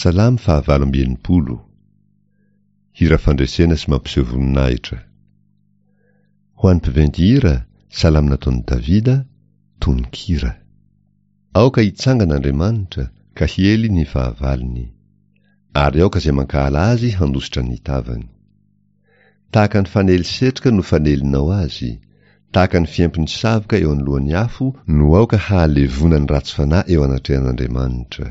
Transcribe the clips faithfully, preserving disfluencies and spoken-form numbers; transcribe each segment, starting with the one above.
Salamo fahavalo amby enimpolo. Hira fandresena sy mampiseho voninahitra. Ho an'ny mpiventy hira, salamo nataon'i Davida, tononkira. Aoka hitsangana Andriamanitra ka hiely ny fahavalony. Ary aoka izay mankahala azy handositra ny tavany. Tahaka ny fanely setroka no fanelinao azy, tahaka ny fiempon'ny savoka eo anoloan'ny afo no aoka hahalevona ny ratsy fanahy eo anatrehan'Andriamanitra.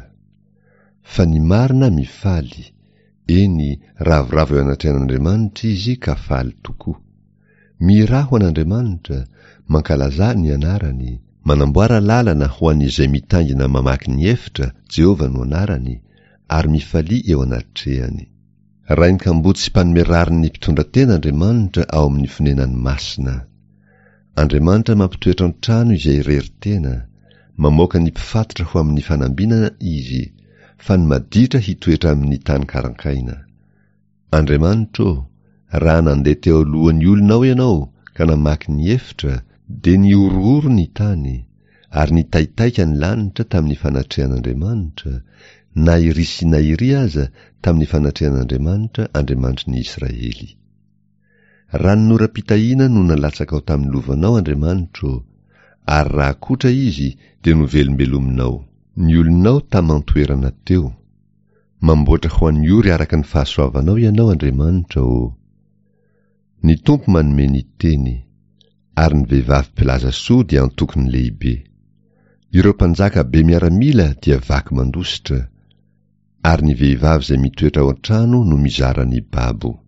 Fa ny marina mifaly, eny, ravoravo eo anatrehan'Andriamanitra izy ka faly tokoa. Mihirà ho an'Andriamanitra, mankalazà ny anarany, manamboara lalana ho an'izay mitaingina mamaky ny efitra, Jehovah no anarany, ary mifalia eo anatrehany. Rain'ny kamboty sy mpanome rariny ny mpitondra tena Andriamanitra ao amin'ny fonenany masina. Andriamanitra mampitoetra an-trano izay irery tena, mamoaka ny mpifatotra ho amin'ny fanambinana izy, fa ny maditra hitoetra amin'ny tany karankaina. Andriamanitra ô, raha nandeha teo alohan'ny olonao ianao ka namaky ny efitra, dia nihorohoro ny tany, ary nitaitaika ny lanitra tamin'ny fanatrehan'Andriamanitra, na iry sy na iry aza tamin'ny fanatrehan'Andriamanitra Andriamanitry ny Israely. Ranonoram-pitahiana no nalatsakao tamin'ny lovanao Andriamanitra ô, ary raha kotra izy dia novelombelominao. Ny olonao taman-toerana teo. Mamboatra ho an'ny ory araka ny fahasoavanao ianao Andriamanitra ô. Ny Tompo manome ny teny, ary ny vehivavy mpilaza soa dia antokony lehibe. Ireo mpanjaka be miaramila dia vaky mandositra, ary ny vehivavy izay mitoetra ao an-trano no mizara ny babo.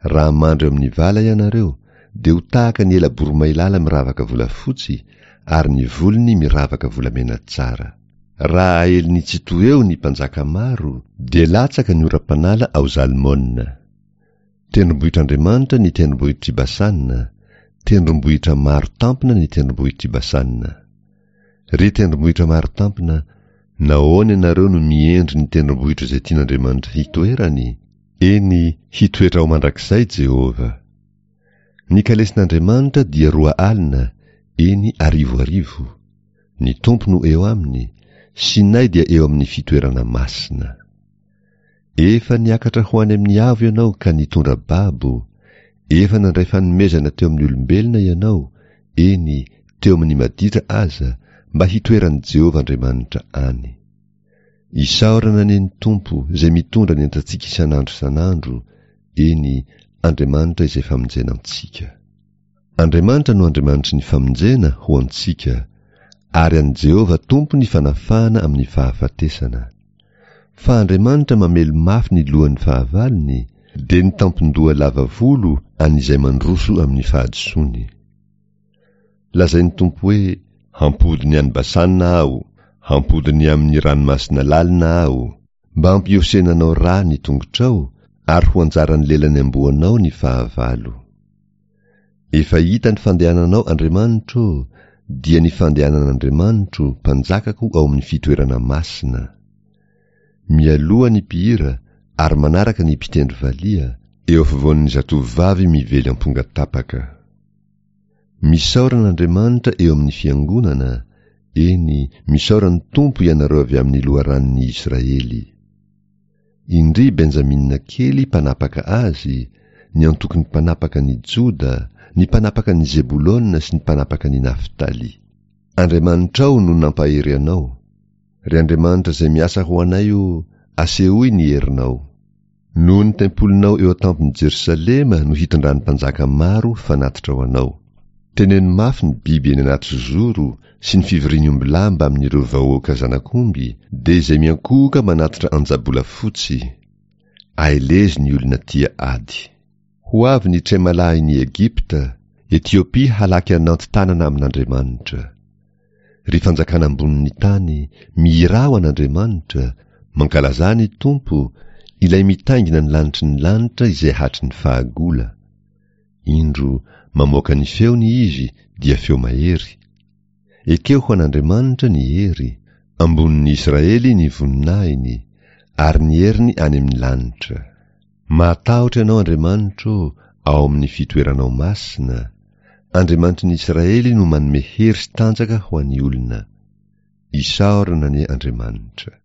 Raha mandry eo amin'ny vala ianareo, dia ho tahaka ny ela-boromailala miravaka volafotsy, ary ny volony miravaka volamena tsara. Raha aelin'ny Tsitoha eo ny mpanjaka maro, dia latsaka ny oram-panala ao Zalmona. Tendrombohitr'Andriamanitra ny tendrombohitr'i Basana, tendrombohitra maro tampona ny tendrombohitr'i Basana. Ry tendrombohitra maro tampona, nahoana ianareo no miendry ny tendrombohitra izay tian'Andriamanitra hitoerany? Eny, hitoetra ao mandrakizay Jehovah. Ny kalesin'Andriamanitra dia roa alina, eny arivo arivo. Ny Tompo no eo aminy, Sinay dia eo amin'ny fitoerana masina. Efa niakatra ho any amin'ny avo ianao ka nitondra babo, efa nandray fanomezana teo amin'ny olombelona ianao, eny, teo amin'ny maditra aza, mba hitoeran'i Jehovah Andriamanitra any. Isaorana anie ny Tompo izay mitondra ny entantsika isan'andro isan'andro, eny, Andriamanitra izay famonjena antsika. Andriamanitra no Andriamanitry ny famonjena ho antsika, ary an'i Jehovah Tompo ny fanafahana amin'ny fahafatesana. Fa Andriamanitra mamely mafy ny lohan'ny fahavalony, dia ny tampon-doha lava volo an'izay mandroso amin'ny fahadisoany. Lazain'ny Tompo hoe, Hampody ny any Basana aho, hampody ny amin'ny ranomasina lalina aho, mba hampiosenanao rà ny tongotrao, ary ho anjaran'ny lelan'ny amboanao ny fahavalo. Efa hita ny fandehananao Andriamanitro ô, dia ny fandehanan'Andriamanitro, Mpanjakako ao amin'ny fitoerana masina. Mialoha ny mpihira ary manaraka ny mpitendry valiha, eo afovoan'ny zatovovavy mively amponga tapaka. Misaora an'Andriamanitra eo amin'ny fiangonana, eny, misaora ny Tompo ianareo avy amin'ny loharanon'i Israely. Indry Benjamina kely mpanapaka azy, ny antokon'ny mpanapaka ny Joda, ny mpanapaka ny Zebolona sy ny mpanapaka ny Naftaly. Andriamanitrao no nampahery anao. Ry Andriamanitra izay miasa ho anay ô, asehoy ny herinao. Noho ny tempolinao eo an-tampon'i Jerosalema no hitondran'ny mpanjaka maro fanatitra ho anao. Teneno mafy ny biby eny anaty zozoro sy ny fivorian'ny ombilahy mbamin'ireo vahoaka zanak'omby, dia izay miankohoka manatitra anja-bolafotsy. Aelezo ny olona tia ady. Ho avy ny tremalahin'i Egypta, Etiopia halaky ananty tanana amin'Andriamanitra. Ry fanjakana ambonin'ny tany, mihirà ho an'Andriamanitra, mankalazà ny Tompo, ilay mitaingina ny lanitry ny lanitra izay hatry ny fahagola. Indro, mamoaka ny feony izy, dia feo mahery. Ekeo ho an'Andriamanitra ny hery, ambonin'ny Israely ny voninahiny, ary ny heriny any amin'ny lanitra. Mahatahotra Ianao Andriamanitra ô, ao amin'ny fitoeranao masina, Andriamanitry ny Israely no manome hery sy tanjaka ho an'ny olona. Isaorana anie Andriamanitra.